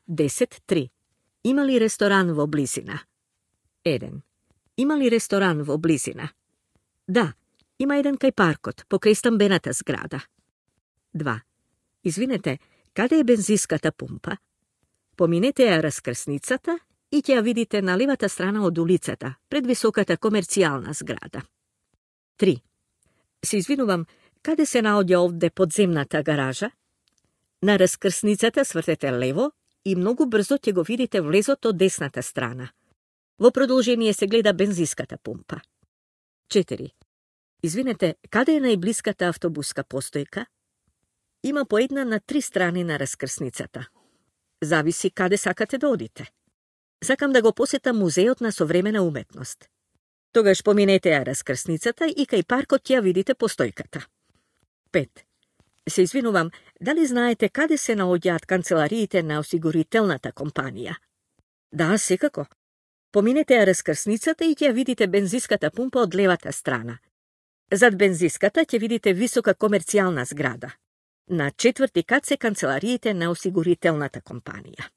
10.3. Има ли ресторан во близина? 1. Има ли ресторан во близина? Да, има еден кај паркот, покрај стамбената зграда. 2. Извинете, каде е бензинската пумпа? Поминете ја раскрсницата и ќе ја видите на левата страна од улицата, пред високата комерцијална зграда. 3. Се извинувам, каде се наоѓа овде подземната гаража? На раскрсницата свртете лево и многу брзо ќе го видите влезот од десната страна. Во продолжение се гледа бензинската пумпа. 4. Извинете, каде е најблиската автобуска постојка? Има по една на 3 страни на раскрсницата. Зависи каде сакате да одите. Сакам да го посетам музеот на современа уметност. Тогаш поминете ја раскрсницата и кај паркот ќе ја видите постојката. 5. Се извинувам, дали знаете каде се наоѓаат канцелариите на осигурителната компанија? Да, секако. Поминете ја раскрсницата и ќе ја видите бензинската пумпа од левата страна. Зад бензинската ќе видите висока комерцијална зграда. На 4-ти кат се канцелариите на осигурителната компанија.